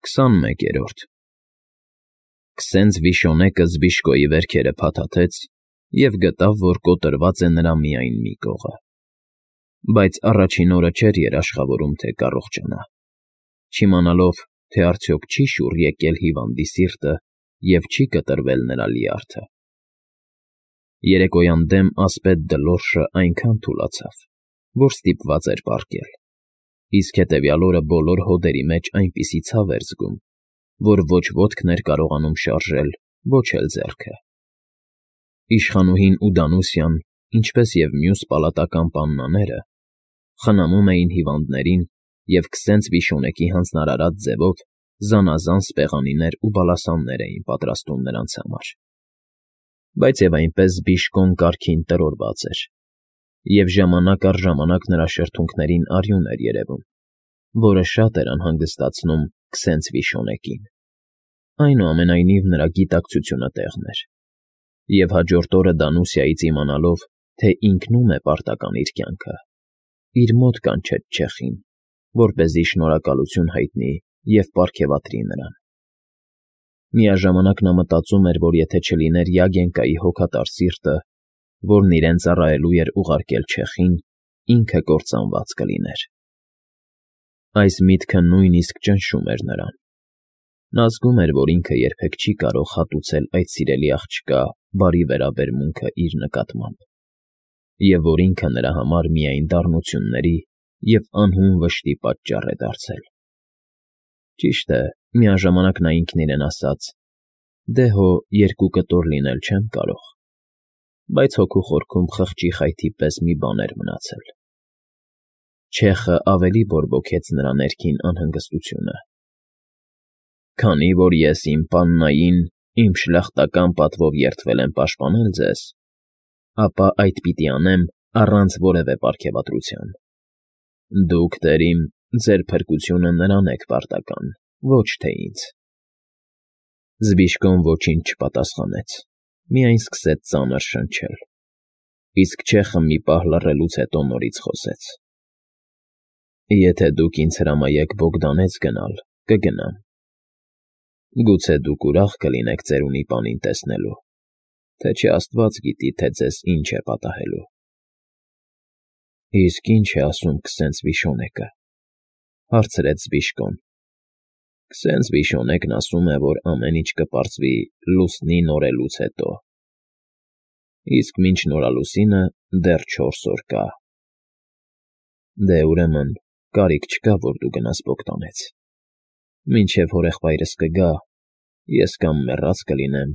21-րդ Քսենց Վիշոնեկը Զբիշկոյի վերքերը փաթաթեց և գտավ, որ կոտրված է նրա միայն մի կողը, բայց առաջին օրը չէր երաշխավորում, թե կառողջանա, չիմանալով, թե արդյոք չի շուռ եկել հիվանդի սիրտը և չի կտրվել նրա լյարդը։ Երեկոյան դեմ ասպետ Դլորշը այնքան թուլացավ, որ ստիպված էր պառկել, իսկ հետևյալ օրը բոլոր հոդերի մեջ այնպիսի ցավ էր զգում, որ ոչ ոտքն էր կարողանում շարժել, ոչ էլ ձեռքը։ Իշխանուհին ու Դանուսյան, ինչպես և մյուս պալատական պաննաները, խնամում էին հիվանդներին և քսենց Վիշոնեկի հանձնարարած ձևով զանազան սպեղանիներ ու բալասաններ էին պատրաստում նրանց համար։ Բայց և այնպես Զբիշկոն կարգին տրորված էր, և ժամանակ առ ժամանակ նրա շրթունքներին արյուն էր երևում, որը շատ էր անհանգստացնում քսենց Վիշոնեկին։ Այնուամենայնիվ նրա գիտակցությունը տեղն էր, և հաջորդ օրը Դանուսիայից իմանալով, թե ինքնում է պարտական իր կյանքը, իր մոտ կանչեց չեխին, որպեսզի շնորհակալություն հայտնի և պարգևատրի նրան։ Միաժամանակ նա մտածում էր, որ եթե չլիներ Յագենկայի հոգատար սիրտը, որն իրեն ծառայելու էր ուղարկել չեխին, ինքը կործանված կլիներ։ Այս միտքը նույնիսկ ճնշում էր նրան։ Նա զգում էր, որ ինքը երբեք չի կարող հատուցել այդ սիրելի աղջկա բարի վերաբերմունքը իր նկատմամբ, և որ ինքը նրա համար միայն դառնությունների և անհուն վշտի պատճառ է դարձել։ Ճիշտ է, միաժամանակ նա ինքն իրեն ասաց. «Դե հո երկու կտոր լինել չեմ կարող», բայց հոգու խորքում խղճի խայթի պես մի բան էր մնացել։ Չեխը ավելի բորբոքեց նրա ներքին անհանգստությունը։ «Քանի որ ես իմ պաննային, իմ շլախտական պատվով երդվել եմ պաշտպանել ձեզ, ապա այդ պիտի անեմ առանց որևէ պարգևատրության։ Դուք, տեր իմ, ձեր փրկությունը նրան եք պարտական, ոչ թե ինձ»։ Զբիշկոն ոչինչ չպատասխանեց, միայն սկսեց ծանր շնչել, իսկ չեխը մի պահ լռելուց հետո նորից խոսեց. «Եթե դուք ինձ հրամայեք Բոգդանեց գնալ, կգնամ։ Գուցե դուք ուրախ կլինեք ծերունի պանին տեսնելու, թե չէ աստված գիտի, թե ձեզ ինչ է պատահելու»։ «Իսկ ի՞նչ է ասում քսենց Վիշոնեկը», հարցրեց Զբիշկոն։ «Քսենց Վիշոնեկն ասում է, որ ամեն ինչ կպարզվի լուսնի նորելուց հետո, իսկ մինչ նորալուսինը դեռ 4 օր կա»։ «Դե, ուրեմն, կարիք չկա, որ դու գնաս Բոգդանեց։ Մինչև հորեղբայրս կգա, ես կամ մեռած կլինեմ,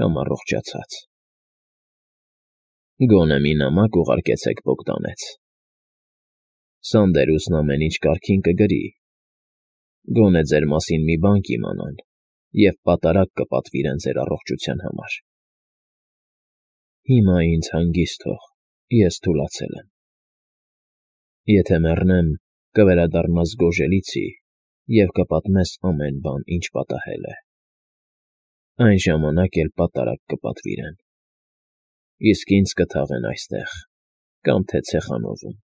կամ առողջացած։ Գոնե մի նամակ ուղարկեցեք Բոգդանեց։ Սանդերուսն ամեն ինչ կարգին կգրի, գոնե ձեր մասին մի բան կիմանան և պատարագ կպատվիրեն ձեր առողջության համար։ Հիմա ինձ հանգիստ թող, ես թուլացել եմ։ Եթե մեռնեմ, կվերադառնաս Գոժելիցի և կպատմես ամեն բան, ինչ պատահել է։ Այն ժամանակ էլ պատարագ կպատվիրեն, իսկ ինձ կթաղեն այստեղ կամ թե Ցեխանովում։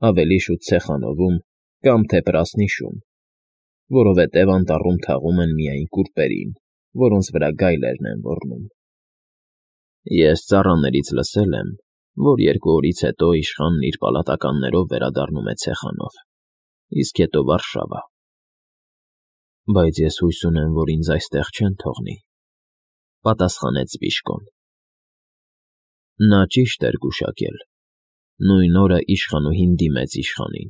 Ավելի շուտ Ցեխանովում կամ թե Պրասնիշում, որովհետև անտառում թաղում են միայն կուրպերին, որոնց վրա գայլերն են ոռնում։ Ես ծառաներից լսել եմ, որ 2 օրից հետո իշխանն իր պալատականներով վերադառնում է Ցեխանով, իսկ հետո Վարշավա։ Բայց ես հույս ունեմ, որ ինձ այստեղ չեն թողնի», պատասխանեց Զբիշկոն։ Նա ճիշտ էր գուշակել։ Նույն օրը իշխանուհին դիմեց իշխանին,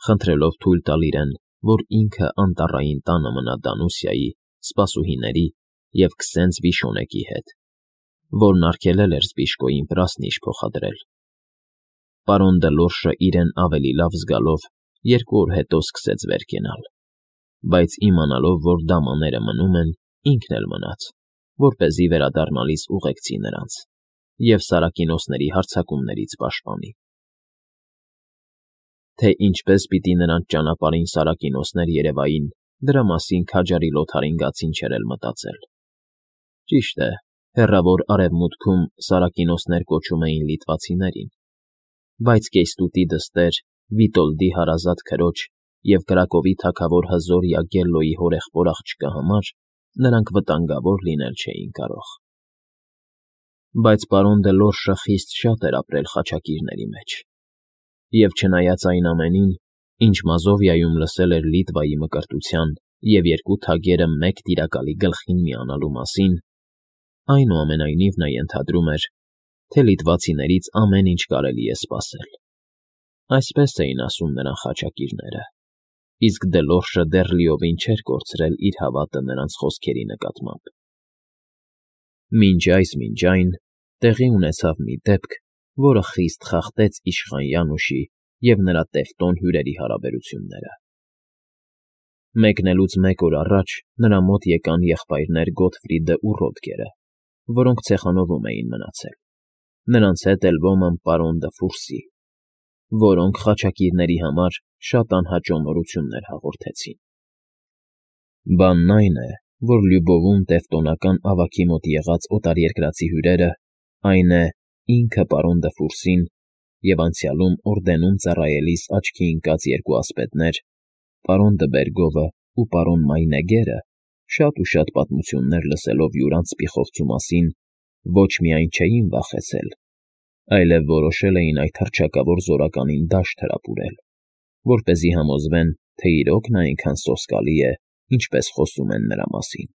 խնդրելով թույլ տալ իրեն, որ ինքը անտառային տանը մնա Դանուսիայի, սպասուհիների և քսենց Վիշոնեկի հետ, որն արգելել էր Զբիշկոյին Պրասնիշ փոխադրել։ Պարոն Դլորշը իրեն ավելի լավ զգալով 2 օր հետո սկսեց վեր կենալ, բայց իմանալով, որ դամաները մնում են, ինքն էլ մնաց, որպեսզի վերադառնալիս ուղեկցի նրանց և Սարակինոսների հարձակումներից պաշտպանի։ Թե ինչպես պիտի նրանց ճանապարհին Սարակինոսներ երևային, դրա մասին քաջարի Լոթարինգացին չէր էլ մտածել։ Ճիշտ է, հեռավոր արևմուտքում Սարակինոսներ կոչում էին լիտվացիներին, բայց կեյստուտի դստեր Վիտոլդի հարազատ քրոջ և Կրակովի թագավոր հզոր Յագելլոյի հորեղբոր աղջկա համար նրանք վտանգավոր լինել չէին կարող։ Բայց պարոն Դելորշը խիստ շատ էր ապրել խաչակիրների մեջ, և չնայած այն ամենին, ինչ Մազովիայում լսել էր Լիտվայի մկրտության և երկու թագերը մեկ տիրակալի գլխին միանալու մասին, այնուամենայնիվ նա ենթադրում էր, թե լիտվացիներից ամեն ինչ կարելի է սպասել։ Այսպես էին ասում նրան խաչակիրները, իսկ Դելորշը դեռ լիովին չէր կորցրել իր հավատը նրանց խոսքերի նկատմամբ։ Մինչ այն տեղի ունեցավ մի դեպք, որը խիստ խախտեց իշխան Յանուշի և նրա տևտոն հյուրերի հարաբերությունները։ Մեկնելուց մեկ օր առաջ նրա մոտ եկան եղբայրներ Գոթֆրիդն ու Ռոդգերը, որոնք ցեխանովում էին մնացել, նրանց հետ էլ ոման պարոն Դը որոնք խաչակիրների համար շատ անհաճո նորություններ հաղորդեցին։ Բանն այն է, որ Լյուբովում տևտոնական ավագի մոտ եղած օտարերկրացի հյուրերը, այն է, ինքը պարոն Դը և անցյալում օրդենում ծառայելիս աչքի ընկած երկու ասպետներ, պարոն Դբերգովը ու պարոն Մայնեգերը, շատ ու շատ պատմություններ լսելով յուրանց սպիխովցու մասին, ոչ միայն չէին վախեցել, այլև որոշել էին այդ հռչակավոր զորականին դաշտ հրապուրել, որպեսզի համոզվեն, թե իրոք նա այնքան սոսկալի է, ինչպես խոսում են նրա մասին։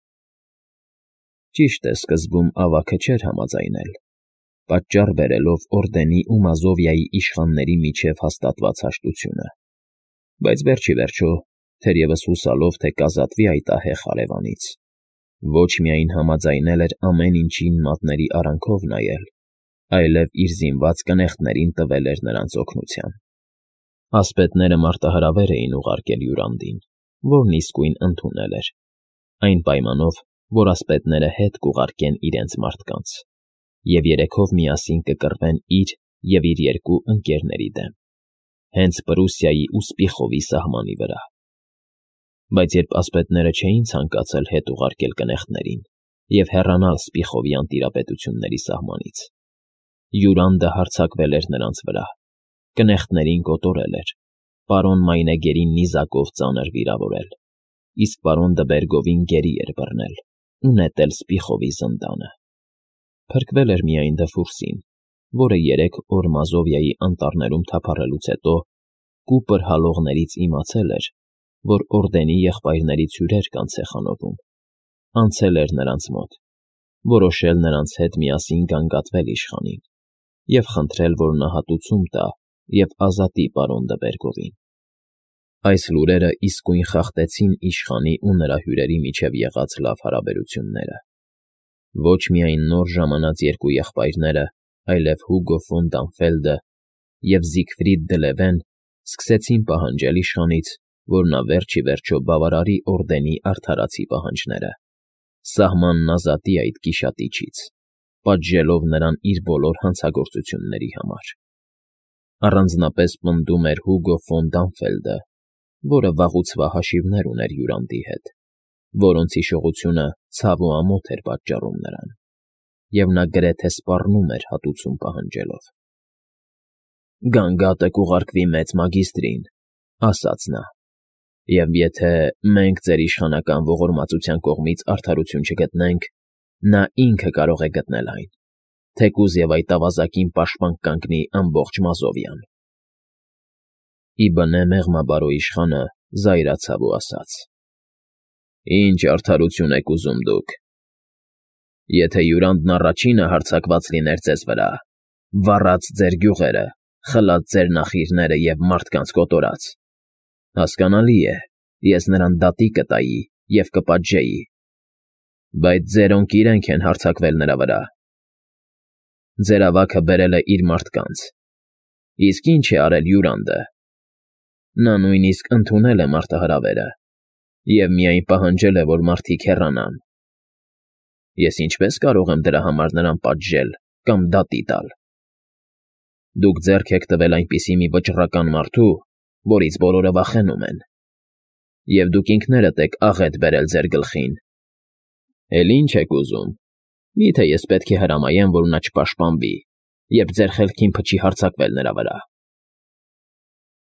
Ճիշտ է, սկզբում ավագը չէր համաձայնել, պատճառ բերելով օրդենի ու Մազովիայի իշխանների միջև հաստատված հաշտությունը, բայց վերջիվերջո, թերևս հուսալով, թե կազատվի այդ ահեղ հարևանից, ոչ միայն համաձայնել էր ամեն ինչին մատների արանքով նայել, այլև իր զինված կնեղտներին տվել էր նրանց օգնության։ Ասպետները մարտահրավեր էին ուղարկել Յուրանդին, որն իսկույն ընդունել էր, այն պայմանով, որ ասպետները հետ կուղարկեն իրենց մարդկանց, և երեքով միասին կկռվեն իր և իր երկու ընկերների դեմ, հենց Պրուսիայի ու Սպիխովի սահմանի վրա։ Բայց երբ ասպետները չէին ցանկացել հետ ուղարկել կնեղտներին և հեռանալ Սպիխովյան տիրապետությունների սահմանից, Յուրանդը հարձակվել էր նրանց վրա, կնեղտներին կոտորել էր, պարոն Մայնեգերին նիզակով ծանր վիրավորել, իսկ պարոն Դբերգովին գերի էր բռնել ու նետել Սպիխովի զնդանը։ Փրկվել էր միայն Դը, որը 3 օր Մազովիայի անտառներում թափառելուց հետո կուպր հալողներից իմացել էր, որ օրդենի եղբայրներից հյուրեր կան ցեխանովում, անցել էր նրանց մոտ, որոշել նրանց հետ միասին գանգատվել իշխանին և խնդրել, որ նա հատուցում տա և ազատի պարոն Դբերգովին։ Այս լուրերը իսկույն խախտեցին իշխանի ու նրա հյուրերի միջև եղած լավ հարաբերությունները։ Ոչ միայն նոր ժամանած երկու եղբայրները, այլև Հուգո ֆոն Դանֆելդը և Զիգֆրիդ դը Լևեն սկսեցին պահանջել իշխանից, որ նա վերջիվերջո բավարարի օրդենի արդարացի պահանջները, սահմանն ազատի այդ գիշատիչից, պատժելով նրան իր բոլոր հանցագործությունների համար։ Առանձնապես պնդում էր Հուգո ֆոն Դանֆելդը, որը վաղուցվա հաշիվներ ուներ Յուրանդի հետ, որոնց հիշողությունը ցավ ու ամոթ էր պատճառում նրան, և նա գրեթե սպառնում էր հատուցում պահանջելով։ «Գանգատը կուղարկվի մեծ մագիստրին», ֊ ասաց նա, «և եթե մենք ձեր իշխանական ողորմածության կողմից արդարություն չգտնենք, նա ինքը կարող է գտնել այն, թեկուզ և այդ ավազակին պաշտպան կանգնի ամբողջ Մազովիան»։ Ի բնե մեղմաբարո իշխանը զայրացավ ու ասաց. «Ինչ արդարություն եք ուզում դուք։ Եթե Յուրանդն առաջինը հարձակված լիներ ձեզ վրա, վառած ձեր գյուղերը, խլած ձեր նախիրները և մարդկանց կոտորած, հասկանալի է, ես նրան դատի կտայի և կպատժեի, բայց ձերոնք իրենք են հարձակվել նրա վրա։ Ձեր ավագը բերել է իր մարդկանց, իսկ ինչ է արել Յուրանդը։ Նա նույնիսկ ընդունել է մարտահրավերը և միայն պահանջել է, որ մարդիկ հեռանան։ Ես ինչպե՞ս կարող եմ դրա համար նրան պատժել կամ դատի տալ։ Դուք ձեռք եք տվել այնպիսի մի վճռական մարդու, որից բոլորը վախենում են, և դուք ինքներդ եք աղետ բերել ձեր գլխին։ Էլ ի՞նչ եք ուզում։ Մի՞թե ես պետք է հրամայեմ, որ նա չպաշտպանվի, երբ ձեր խելքին փչի հարձակվել նրա վրա»։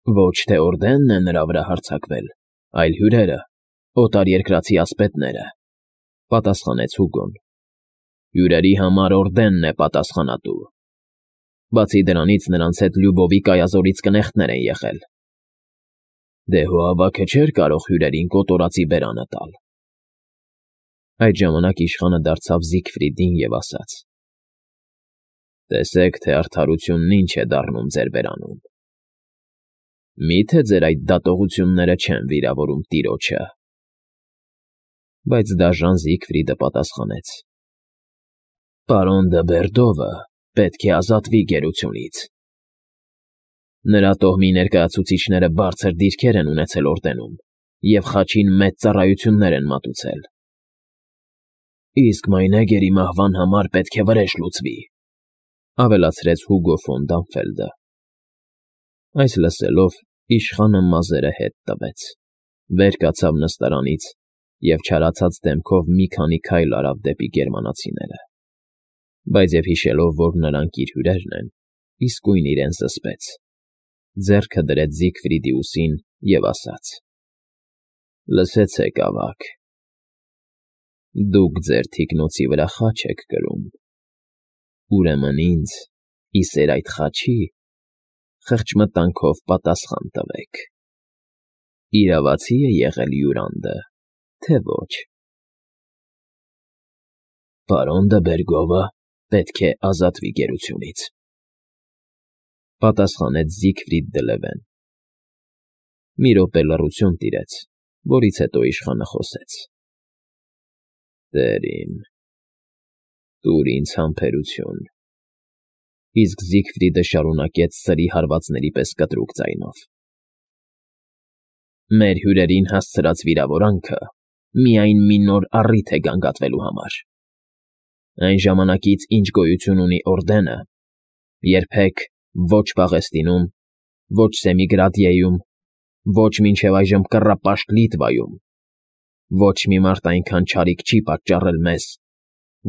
Ոչ թե օրդենն է նրա վրա հարձակվել, այլ հյուրերը, օտարերկրացի ասպետները, պատասխանեց Հուգոն։ Հյուրերի համար օրդենն է պատասխանատու։ Բացի դրանից նրանց հետ Լյուբովի կայազորից կնեխտներ են եղել։ Դե հո ավագը չէր կարող հյուրերին կոտորածի բերանը տալ։ Այդ ժամանակ իշխանը դարձավ Զիգֆրիդին և ասաց. Տեսեք, թե արդարությունն ինչ է դառնում ձեր բերանում։ Մի՞թե ձեր այդ դատողությունները չեն վիրավորում տիրոջը։ Բայց դաժան Զիգֆրիդը պատասխանեց. Պարոն դը Բերդովը պետք է ազատվի գերությունից։ Նրա տոհմի ներկայացուցիչները բարձր դիրքեր են ունեցել օրդենում և խաչին մեծ ծառայություններ են մատուցել։ Իսկ Մայնեգերի մահվան համար պետք է վրեժ լուծվի, ավելացրեց Հուգո ֆոն Դամֆելդը։ Այս լսելով իշխանը մազերը հետ տվեց, վեր կացավ նստարանից և չարացած դեմքով մի քանի քայլ արավ դեպի գերմանացիները, բայց և հիշելով, որ նրանք իր հյուրերն են, իսկույն իրեն զսպեց, ձեռքը դրեց Զիգֆրիդի ուսին և ասաց. Լսեցեք, ավագ, դուք ձեր թիկնոցի վրա խաչ եք կրում, ուրեմն ինձ, ի սեր այդ խաչի, խղճմտանքով պատասխան տվեք. իրավացի է եղել Յուրանդը, թե ոչ։ Պարոն դը Բերգովը պետք է ազատվի գերությունից, պատասխանեց Զիգֆրիդ դը Լևեն։ Մի րոպե լռություն տիրեց, որից հետո իշխանը խոսեց. Տեր իմ, տուր ինձ համբերություն։ Իսկ Զիգֆրիդը շարունակեց սրի հարվածների պես կտրուկ ձայնով. Մեր հյուրերին հասցրած վիրավորանքը միայն մի նոր առիթ է գանգատվելու համար։ Այն ժամանակից, ինչ գոյություն ունի օրդենը, երբեք ոչ Պաղեստինում, ոչ Սեմիգրադիեում, ոչ մինչև այժմ Կռապաշտ Լիտվայում, ոչ մի մարդ այնքան չարիք չի պատճառել մեզ,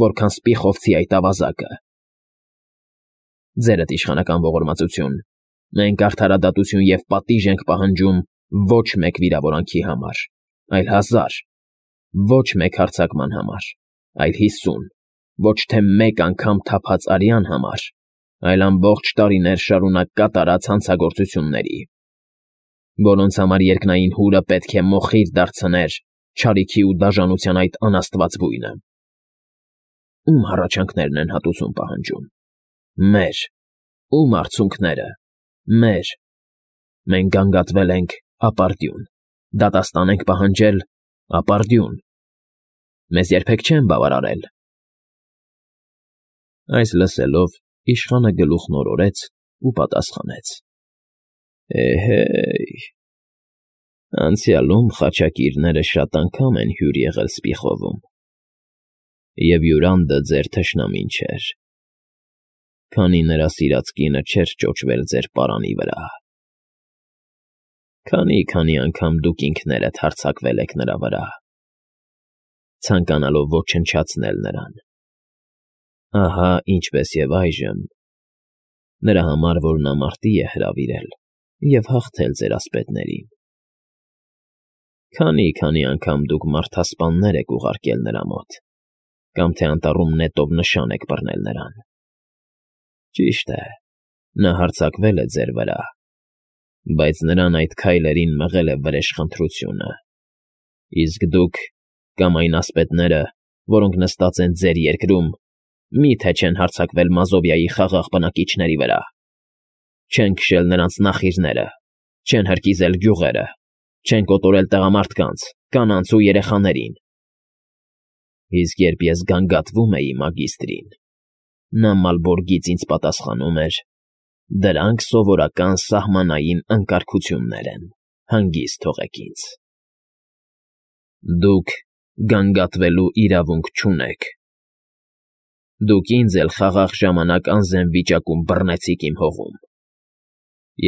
որքան Սպիխովցի այդ ավազակը։ Ձերդ իշխանական ողորմածություն, մենք արդարադատություն և պատիժ ենք պահանջում ոչ մեկ վիրավորանքի համար, այլ 1000, ոչ մեկ հարձակման համար, այլ 50, ոչ թե մեկ անգամ թափած արյան համար, այլ ամբողջ տարիներ շարունակ կատարած հանցագործությունների, որոնց համար երկնային հուրը պետք է մոխիր դարձներ չարիքի ու դաժանության այդ անաստված բույնը։ Ում հառաչանքներն են հատուցում պահանջում։ Մեր, ում արցունքները, մեր։ Մենք գանգատվել ենք ապարդյուն, դատաստան ենք պահանջել ապարդյուն։ Մեզ երբեք չեն բավարարել։ Այս լսելով իշխանը գլուխն օրորեց ու պատասխանեց. Էհեյ, անցյալում խաչակիրները շատ անգամ են հյուր եղել Սպիխովում, և Յուրանդը ձեր թշնամին չէր, քանի նրա սիրած կինը չէր ճոճվել ձեր պարանի վրա։ Քանի անգամ դուք ինքներդ հարձակվել եք նրա վրա, ցանկանալով ոչնչացնել նրան։ Ահա ինչպես և այժմ, նրա համար, որ նա մարտի է հրավիրել և հաղթել ձեր ասպետներին։ Քանի անգամ դուք մարդասպաններ եք ուղարկել նրա մոտ, կամ թե անտառում նետով նշան եք բռնել նրան։ Ճիշտ է, նա հարձակվել է ձեր վրա, բայց նրան այդ քայլերին մղել է վրեժխնդրությունը, իսկ դուք, կամ այն ասպետները, որոնք նստած են ձեր երկրում, մի՞թե չեն հարձակվել Մազովիայի խաղաղ բնակիչների վրա, չեն քշել նրանց նախիրները, չեն հրկիզել գյուղերը, չեն կոտորել տղամարդկանց, կանանց ու երեխաներին։ Իսկ երբ ես գանգատվում էի մագիստրին, նա Մալբորգից ինձ պատասխանում էր. դրանք սովորական սահմանային անկարգություններ են, հանգիստ թողեք ինձ։ Դուք գանգատվելու իրավունք չունեք։ Դուք ինձ էլ խաղաղ ժամանակ անզեն վիճակում բռնեցիք իմ հողում,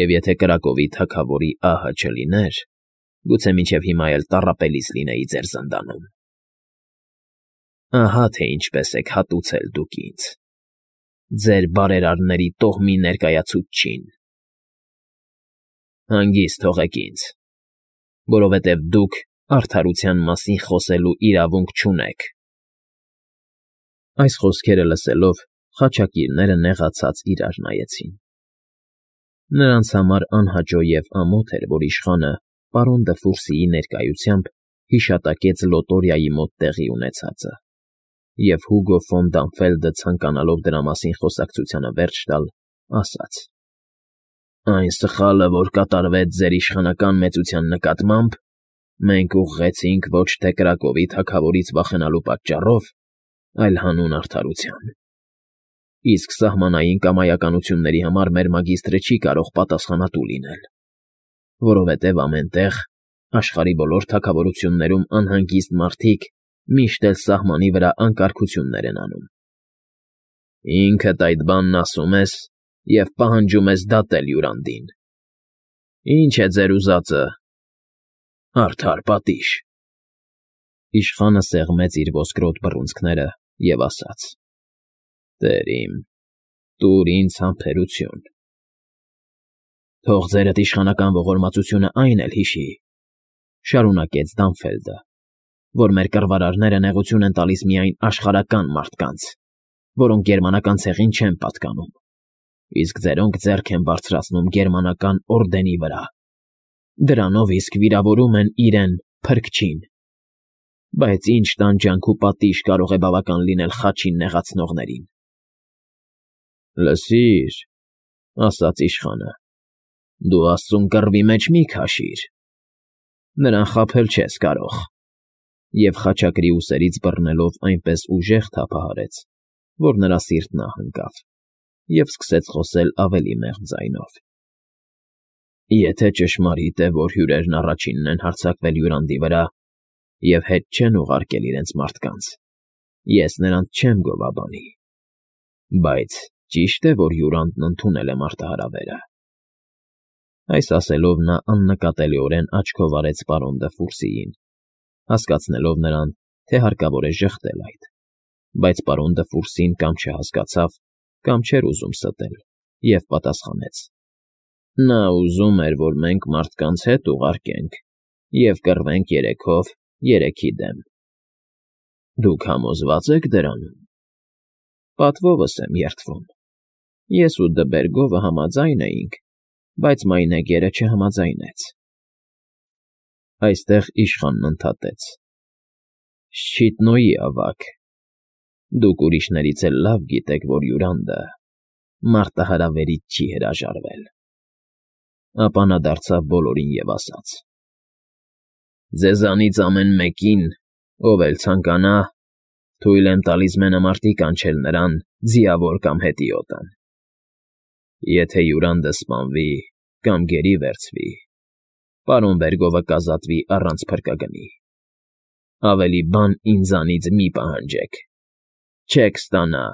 և եթե Կրակովի թագավորի ահը չլիներ, գուցե մինչև հիմա էլ տառապելիս լինեի ձեր զնդանում։ Ահա թե ինչպես եք հատուցել դուք ինձ, ձեր բարերարների տոհմի ներկայացուցչին։ Հանգիստ թողեք ինձ, որովհետև դուք արդարության մասին խոսելու իրավունք չունեք։ Այս խոսքերը լսելով խաչակիրները նեղացած իրար նայեցին։ Նրանց համար անհաճո և ամոթ էր, որ իշխանը պարոն Դը ներկայությամբ հիշատակեց լոտորիայի մոտ տեղի ունեցածը, և Հուգո ֆոն Դանֆելդը ցանկանալով դրա մասին խոսակցությանը վերջ տալ, ասաց. «Այն սխալը, որ կատարվեց ձեր իշխանական մեծության նկատմամբ, մենք ուղղեցինք ոչ թե Կրակովի թագավորից վախենալու պատճառով, այլ հանուն արդարության։ Իսկ սահմանային կամայականությունների համար մեր մագիստրը չի կարող պատասխանատու լինել, որովհետև ամեն տեղ, աշխարհի բոլոր թագավորություններում անհանգիստ մարդիկ միշտ էլ սահմանի վրա անկարգություններ են անում։ Ինքդ այդ բանն ասում ես և պահանջում ես դատել Յուրանդին։ Ի՞նչ է ձեր ուզածը։ Արդար պատիժ»։ Իշխանը սեղմեց իր ոսկրոտ բռունցքները և ասաց. «Տեր իմ, տուր ինձ համբերություն»։ «Թող ձերդ իշխանական ողորմածությունը այն էլ հիշի, ֊ շարունակեց Դանֆելդը, ֊ որ մեր կռվարարները նեղություն են տալիս միայն աշխարհական մարդկանց, որոնք գերմանական ցեղին չեն պատկանում, իսկ ձերոնք ձեռք են բարձրացնում գերմանական օրդենի վրա, դրանով իսկ վիրավորում են իրեն Փրկչին։ Բայց ինչ տանջանք ու պատիժ կարող է բավական լինել խաչին նեղացնողներին»։ «Լսիր, ֊ ասաց իշխանը, ֊ դու աստծուն կռվի մեջ մի քաշիր. նրան խաբել չես կարող»։ Եվ խաչակրի ուսերից բռնելով այնպես ուժեղ թափահարեց, որ նրա սիրտն ահընկավ, և սկսեց խոսել ավելի մեղմ ձայնով. «Եթե ճշմարիտ է, որ հյուրերն առաջինն են հարձակվել Յուրանդի վրա և հետ չեն ուղարկել իրենց մարդկանց, ես նրանց չեմ գովաբանի։ Բայց ճի՞շտ է, որ Յուրանդն ընդունել է մարտահրավերը»։ Այս ասելով նա աննկատելիորեն աչքով արեց պարոն Դը, հասկացնելով նրան, թե հարկավոր է ժխտել այդ, բայց պարոն Դը կամ չհասկացավ, կամ չէր ուզում ստել, և պատասխանեց. «Նա ուզում էր, որ մենք մարդկանց հետ ուղարկենք և կռվենք երեքով երեքի դեմ։ Դուք համոզվա՞ծ եք դրանում»։ «Պատվովս եմ երդվում։ Ես ու Դը համաձայն էինք, բայց մայնեգերը չհամաձայնեց»։ Այստեղ իշխանն ընդհատեց. «Շչիթնոյի ավագ, դուք ուրիշներից էլ լավ գիտեք, որ Յուրանդը մարտահրավերից չի հրաժարվել»։ Ապա նա դարձավ բոլորին և ասաց. «Ձեզանից ամեն մեկին, ով էլ ցանկանա, թույլ եմ տալիս մենամարտի կանչել նրան ձիավոր կամ հետիոտն։ Եթե Յուրանդը սպանվի կամ գերի վերցվի, պարոն Բերգովը կազատվի առանց փրկագնի։ Ավելի բան ինձանից մի պահանջեք. չեք ստանա